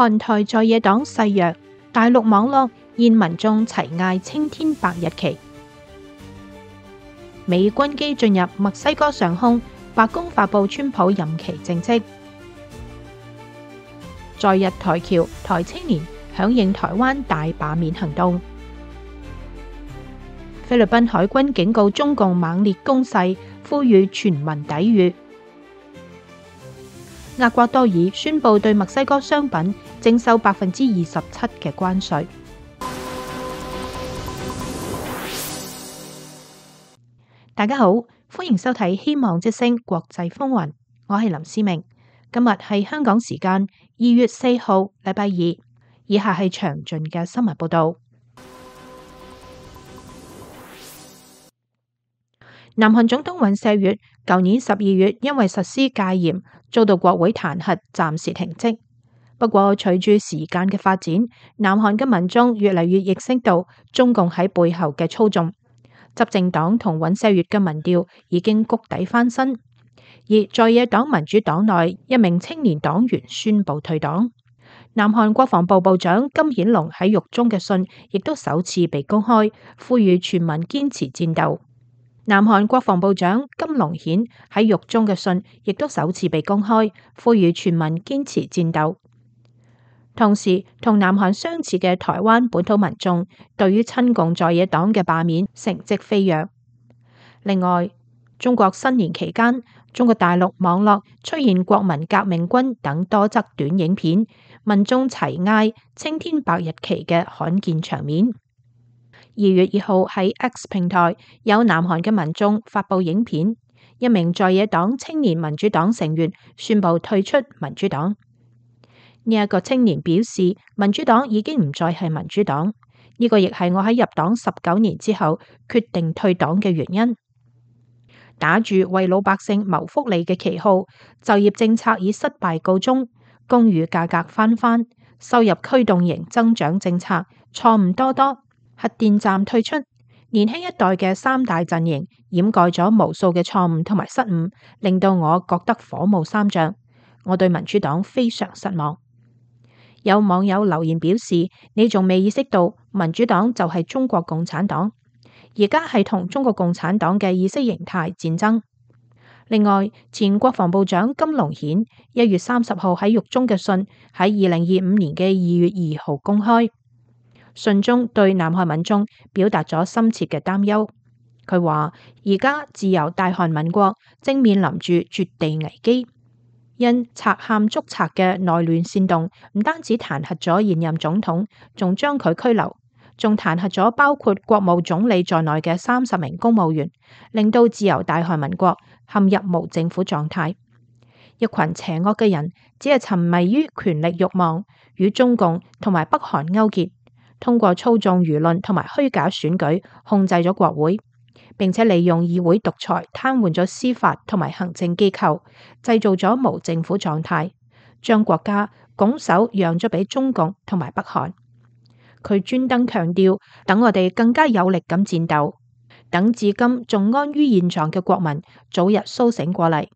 韓台在野黨勢弱，大陸網絡現民眾齊嗌青天白日旗。美軍機進入墨西哥上空，白宮發布川普任期政績。在日台僑台青年響應台灣大罷免行動。菲律賓海軍警告中共猛烈攻勢，呼籲全民抵禦。厄瓜多爾宣布對墨西哥商品徵收27%嘅關稅。大家好，歡迎收睇《希望之聲》國際風雲，我係林思明。今日係香港時間2月4號，禮拜二。以下係詳盡嘅新聞報道。南韓總統尹錫悅舊年12月因為實施戒嚴，遭到國會彈劾，暫時停職。不過，隨住時間嘅發展，南韓嘅民眾越嚟越認識到中共喺背後嘅操縱。執政黨同尹錫悅嘅民調已經谷底翻身，而在野黨民主黨內一名青年黨員宣布退黨。南韓國防部部長金顯龍喺獄中嘅信亦都首次被公開，呼籲全民堅持戰鬥。南韓國防部長金龍顯喺獄中嘅信亦都首次被公開，呼籲全民堅持戰鬥。同時，同南韓相似嘅台灣本土民眾對於親共在野黨嘅罷免成績飛躍。另外，中國新年期間，中國大陸網絡出現國民革命軍等多則短影片，民眾齊嗌青天白日旗嘅罕見場面。2月2號喺 X 平台，有南韓嘅民眾發佈影片，一名在野黨青年民主黨成員宣布退出民主黨。呢一個青年表示，民主黨已經唔再係民主黨，呢個亦係我喺入黨19年之後決定退黨嘅原因。打住為老百姓謀福利嘅旗號，就業政策以失敗告終，公寓價格翻番，收入驅動型增長政策錯誤多多，核電站退出，年輕一代嘅三大陣營掩蓋咗無數嘅錯誤同埋失誤，令到我覺得火冒三丈。我對民主黨非常失望。有網友留言表示，你仲未意識到民主黨就係中國共產黨，而家係同中國共產黨嘅意識形態戰爭。另外，前國防部長金龍顯1月30號喺獄中嘅信喺2025年嘅2月2號公開，信中對南韓民眾表達咗深切嘅擔憂。佢話：而家自由大韓民國正面臨住絕地危機。因賊喊捉賊嘅內亂煽動，唔單止彈劾咗現任總統，仲將佢拘留，仲彈劾咗包括國務總理在內嘅30名公務員，令到自由大韓民國陷入無政府狀態。一群邪惡嘅人只係沉迷於權力慾望，與中共同埋北韓勾結，通過操縱輿論同埋虛假選舉控制咗國會。並且利用議會獨裁癱瘓咗司法同埋行政機構，製造咗無政府狀態，將國家拱手讓咗俾中共同埋北韓。佢專登強調，等我哋更加有力咁戰鬥，等至今仲安於現狀嘅國民早日甦醒過嚟。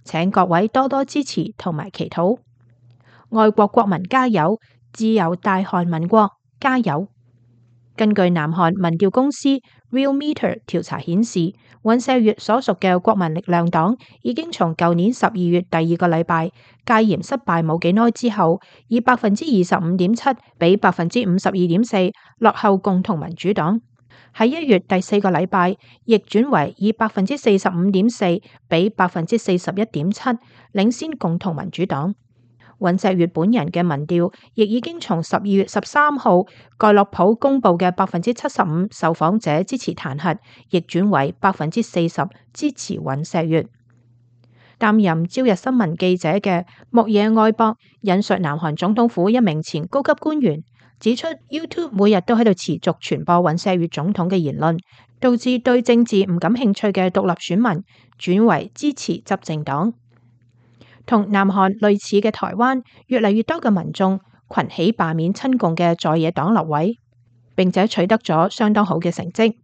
請各位多多支持同埋祈禱，愛國國民加油，自由大韓民國加油！根據南韓民調公司 Realmeter 調查顯示，尹錫悅所屬嘅國民力量黨已經從舊年12月第2個禮拜戒嚴失敗冇幾耐之後，以25.7%比52.4%落後共同民主黨。喺1月第4個禮拜，逆轉為以45.4%比41.7%領先共同民主黨。尹錫悅本人嘅民調亦已經從12月13號蓋洛普公布嘅75%受訪者支持彈劾，逆轉為40%支持尹錫悅。擔任朝日新聞記者嘅木野愛博引述南韓總統府一名前高級官員指出，YouTube 每日都喺度持續傳播尹錫悅總統嘅言論，導致對政治唔感興趣嘅獨立選民轉為支持執政黨。同南韓類似嘅台灣，越嚟越多嘅民眾群起罷免親共嘅在野黨立委，並且取得咗相當好嘅成績。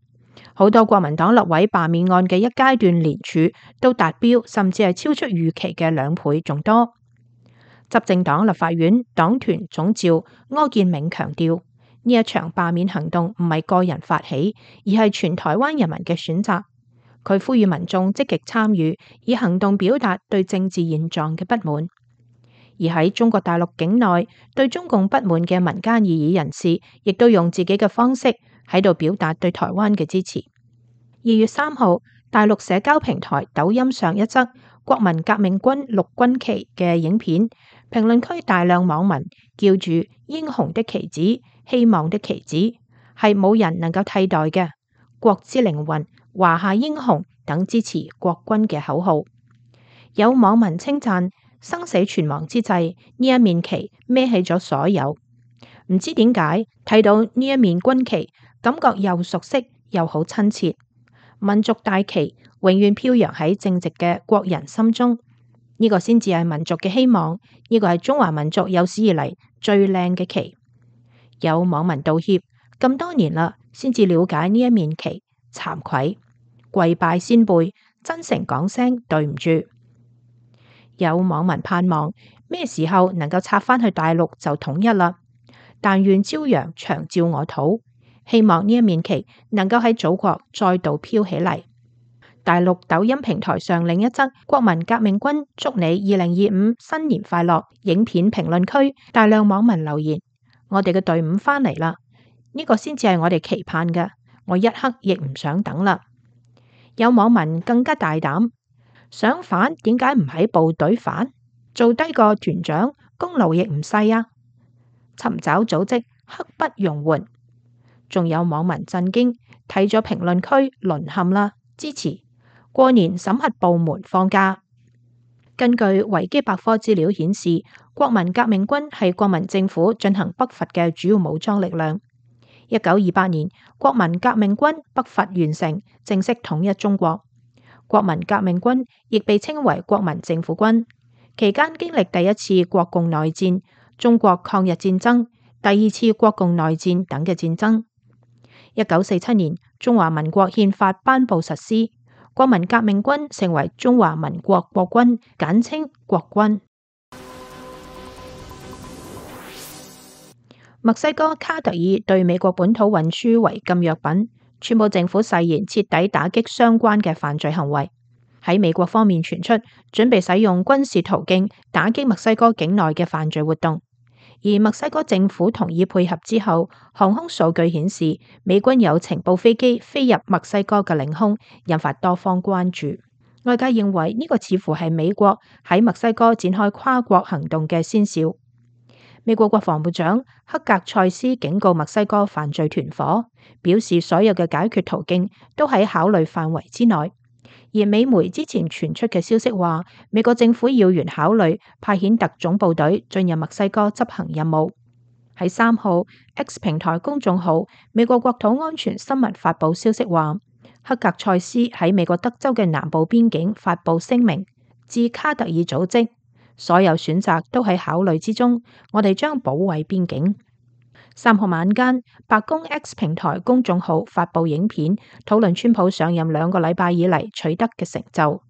好多國民黨立委罷免案嘅一階段連署都達標，甚至係超出預期嘅2倍仲多。執政黨立法院黨團總召柯建銘強調，呢一場罷免行動唔係個人發起，而係全台灣人民嘅選擇。佢呼籲民眾積極參與，以行動表達對政治現狀嘅不滿。而喺中國大陸境內，對中共不滿嘅民間異議人士，亦都用自己嘅方式喺度表達對台灣嘅支持。2月3號，大陸社交平台抖音上一則國民革命軍陸軍旗嘅影片，評論區大量網民叫住英雄的旗子、希望的旗子，係冇人能夠替代嘅國之靈魂、華夏英雄等支持國軍嘅口號。有網民稱讚生死存亡之際，呢一面旗孭起咗所有。唔知點解睇到呢一面軍旗，感覺又熟悉又好親切。民族大旗永遠飄揚喺正直嘅國人心中，呢個先至係民族嘅希望，呢個係中華民族有史以嚟最靚嘅旗。有網民道歉，咁多年啦，先至了解呢一面旗，慚愧，跪拜先輩，真誠講聲對唔住。有網民盼望咩時候能夠拆返去大陸就統一啦，但願朝陽長照我土。希望呢一面旗能夠喺祖國再度飄起嚟。大陸抖音平台上另一則國民革命軍祝你2025新年快樂影片評論區，大量網民留言：我哋嘅隊伍返嚟啦，呢個先至係我哋期盼嘅，我一刻亦唔想等啦。有網民更加大膽，想反點解唔喺部隊反，做低個團長功勞亦唔細啊！尋找組織刻不容緩。仲有網民震驚，睇咗評論區淪陷啦，支持過年審核部門放假。根據維基百科資料顯示，國民革命軍係國民政府進行北伐嘅主要武裝力量。1928年，國民革命軍北伐完成，正式統一中國。國民革命軍亦被稱為國民政府軍，期間經歷第一次國共內戰、中國抗日戰爭、第二次國共內戰等嘅戰爭。1947年，中華民國憲法頒布實施，國民革命軍成為中華民國國軍，簡稱國軍。墨西哥卡特爾對美國本土運輸違禁藥品，川普政府誓言徹底打擊相關嘅犯罪行為。喺美國方面傳出，準備使用軍事途徑打擊墨西哥境內嘅犯罪活動。而墨西哥政府同意配合之後，航空數據顯示美軍有情報飛機飛入墨西哥嘅領空，引發多方關注。外界認為呢個似乎係美國喺墨西哥展開跨國行動嘅先兆。美國國防部長克格塞斯警告墨西哥犯罪團夥，表示所有嘅解決途徑都喺考慮範圍之內。而美媒之前傳出嘅消息話，美國政府要員考慮派遣特種部隊進入墨西哥執行任務。喺3號 X 平台公眾號美國國土安全新聞發布消息話，克格塞斯喺美國德州嘅南部邊境發布聲明，致卡特爾組織，所有選擇都喺考慮之中，我哋將保衛邊境。3號晚間，白宮 X 平台公眾號發布影片，討論川普上任2個禮拜以嚟取得嘅成就。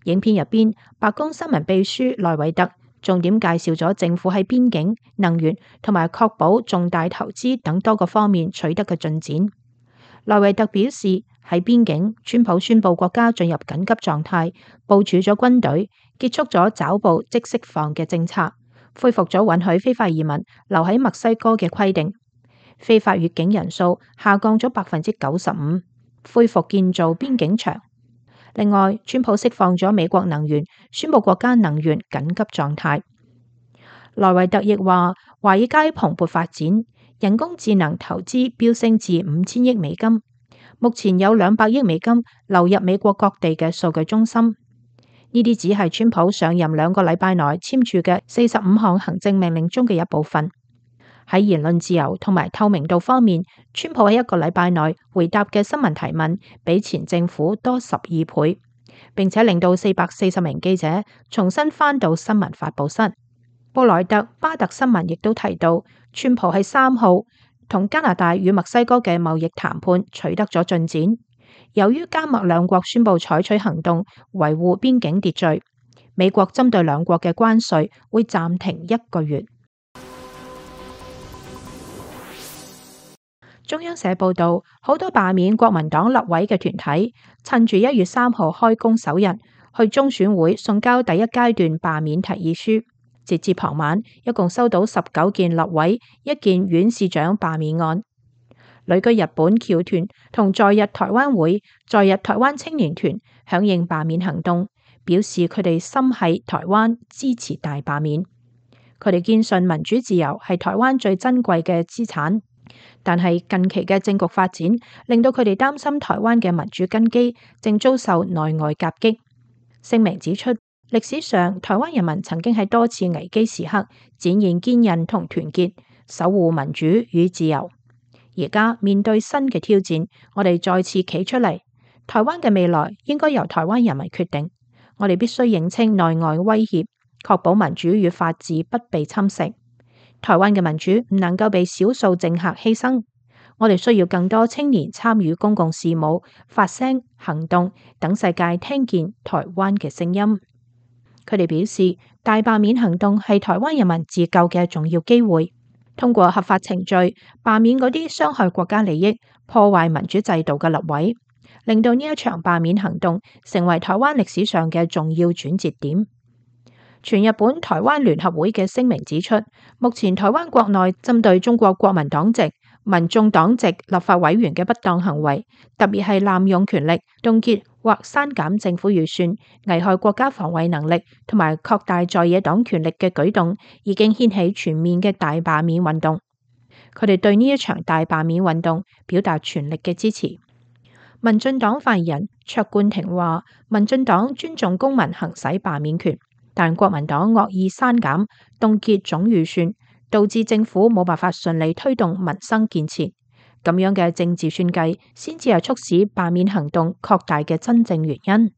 影片入邊，白宮新聞秘書萊維特重點介紹咗政府喺邊境、能源同埋確保重大投資等多個方面取得嘅進展。萊維特表示，喺邊境，川普宣布國家進入緊急狀態，部署咗軍隊，結束咗抓捕即釋放嘅政策，恢復咗允許非法移民留喺墨西哥嘅規定，非法越境人數下降咗95%，恢復建造邊境牆。另外，川普釋放咗美國能源，宣布國家能源緊急狀態。萊維特亦話，華爾街蓬勃發展，人工智能投資飆升至5000億美金，目前有200億美金流入美國各地嘅數據中心。呢啲只係川普上任2個禮拜內簽署嘅45項行政命令中嘅一部分。喺言論自由同埋透明度方面，川普喺1個禮拜內回答嘅新聞提問比前政府多12倍，並且令到440名記者重新返到新聞發佈室。布萊特巴特新聞亦都提到，川普喺3號同加拿大與墨西哥嘅貿易談判取得咗進展。由於加墨兩國宣布採取行動維護邊境秩序，美國針對兩國嘅關稅會暫停1個月。中央社報道，好多罷免國民黨立委嘅團體趁住1月3號開工首日，去中選會送交第一階段罷免提議書。截至傍晚，一共收到19件立委、1件縣市長罷免案。旅居日本僑團同在日台灣會、在日台灣青年團響應罷免行動，表示佢哋心繫台灣，支持大罷免。佢哋堅信民主自由係台灣最珍貴嘅資產，但係近期嘅政局發展令到佢哋擔心台灣嘅民主根基正遭受內外夾擊。聲明指出，歷史上台灣人民曾經喺多次危機時刻展現堅韌同團結，守護民主與自由。而家面對新嘅挑戰，我哋再次企出嚟。台灣嘅未來應該由台灣人民決定。我哋必須認清內外威脅，確保民主與法治不被侵蝕。台灣嘅民主唔能夠被少數政客犧牲。我哋需要更多青年參與公共事務、發聲、行動，等世界聽見台灣嘅聲音。佢哋表示，大罷免行動係台灣人民自救嘅重要機會。通過合法程序罷免嗰啲傷害國家利益、破壞民主制度嘅立委，令到呢一場罷免行動成為台灣歷史上嘅重要轉折點。全日本台灣聯合會嘅聲明指出，目前台灣國內針對中國國民黨籍、民眾黨籍立法委員嘅不當行為，特別係濫用權力、凍結或刪減政府預算、危害國家防衛能力同埋擴大在野黨權力嘅舉動，已經掀起全面嘅大罷免運動。佢哋對呢一場大罷免運動表達全力嘅支持。民進黨發言人卓冠廷話，民進黨尊重公民行使罷免權，但國民黨惡意刪減、凍結總預算，導致政府冇辦法順利推動民生建設。咁樣嘅政治算計，先至係促使罷免行動擴大嘅真正原因。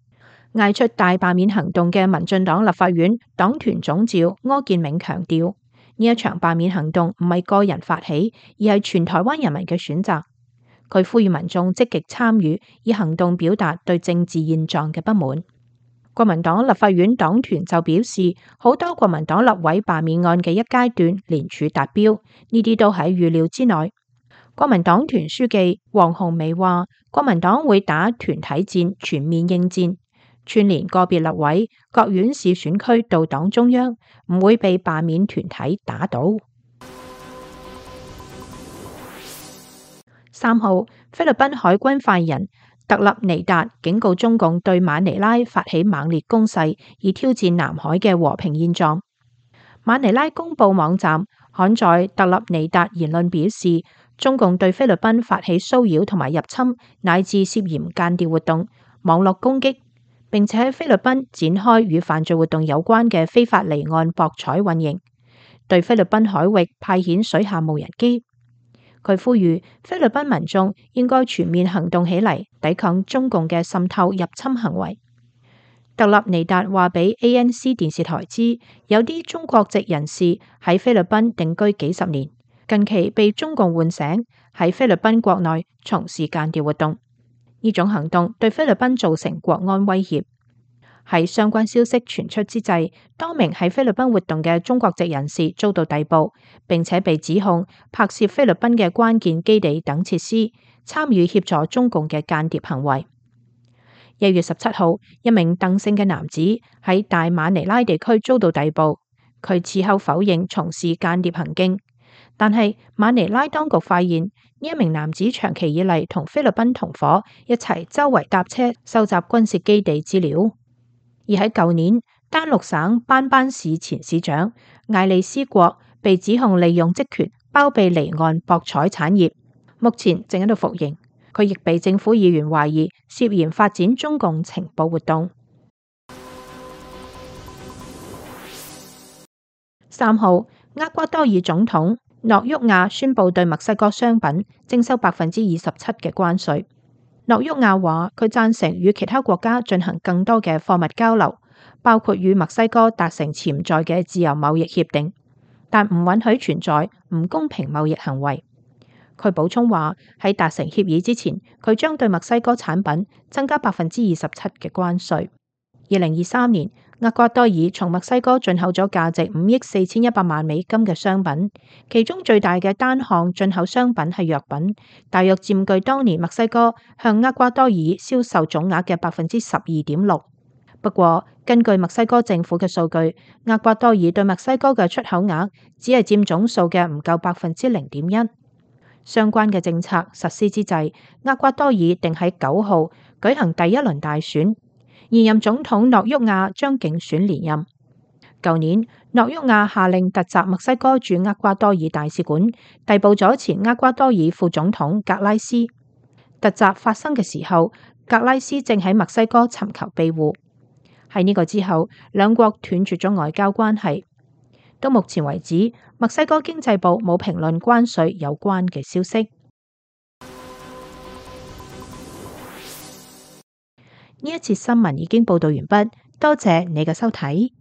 嗌出大罷免行動嘅民進黨立法院黨團總召柯建銘強調，呢一場罷免行動唔係個人發起，而係全台灣人民嘅選擇。佢呼籲民眾積極參與，以行動表達對政治現狀嘅不滿。國民黨立法院黨團就表示，好多國民黨立委罷免案嘅一階段聯署達標，呢啲都喺預料之內。國民黨團書記黃鴻薇話，國民黨會打團體戰，全面應戰，串聯個別立委、各縣市選區到黨中央，唔會被罷免團體打倒。3號，菲律賓海軍發言人特立尼達警告中共對馬尼拉發起猛烈攻勢，以挑戰南海嘅和平現狀。馬尼拉公報網站刊載特立尼達言論表示，中共對菲律賓發起騷擾同埋入侵，乃至涉嫌間諜活動、網絡攻擊，並且喺菲律賓展開與犯罪活動有關嘅非法離岸博彩運營，對菲律賓海域派遣水下無人機。佢呼籲菲律賓民眾應該全面行動起嚟，抵抗中共嘅滲透入侵行為。特立尼達話俾 ANC 電視台知，有啲中國籍人士喺菲律賓定居幾十年，近期被中共喚醒，喺菲律賓國內從事間諜活動。呢種行動對菲律賓造成國安威脅。喺相關消息傳出之際，多名喺菲律賓活動嘅中國籍人士遭到逮捕，並且被指控拍攝菲律賓嘅關鍵基地等設施，參與協助中共嘅間諜行為。1月17號，一名鄧姓嘅男子喺大馬尼拉地區遭到逮捕，佢事後否認從事間諜行徑，但係馬尼拉當局發現呢一名男子長期以嚟同菲律賓同伙一齊周圍搭車收集軍事基地資料。而喺舊年，丹陸省班班市前市長艾利斯國被指控利用職權包庇離岸博彩產業，目前正喺度服刑。佢亦被政府議員懷疑涉嫌發展中共情報活動。3號，厄瓜多爾總統諾沃亞宣布對墨西哥商品徵收27%嘅關稅。諾沃亞話佢贊成與其他國家進行更多嘅貨物交流，包括與墨西哥達成潛在嘅自由貿易協定，但唔允許存在唔公平貿易行為。佢補充話喺達成協議之前，佢將對墨西哥產品增加27%嘅關稅。2023年，厄瓜多爾從墨西哥進口咗價值5億4100萬美金嘅商品，其中最大嘅單項進口商品係藥品，大約佔據當年墨西哥向厄瓜多爾銷售總額嘅12.6%。不過，根據墨西哥政府嘅數據，厄瓜多爾對墨西哥嘅出口額只係佔總數嘅唔夠0.1%。相關嘅政策實施之際，厄瓜多爾定喺9號舉行第一輪大選，現任總統諾沃亞將競選連任。舊年，諾沃亞下令突襲墨西哥駐厄瓜多爾大使館，逮捕咗前厄瓜多爾副總統格拉斯。突襲發生嘅時候，格拉斯正喺墨西哥尋求庇護。喺呢個之後，兩國斷絕咗外交關係。到目前為止，墨西哥經濟部冇評論關稅有關嘅消息。呢一節新聞已經報道完畢，多謝你嘅收睇。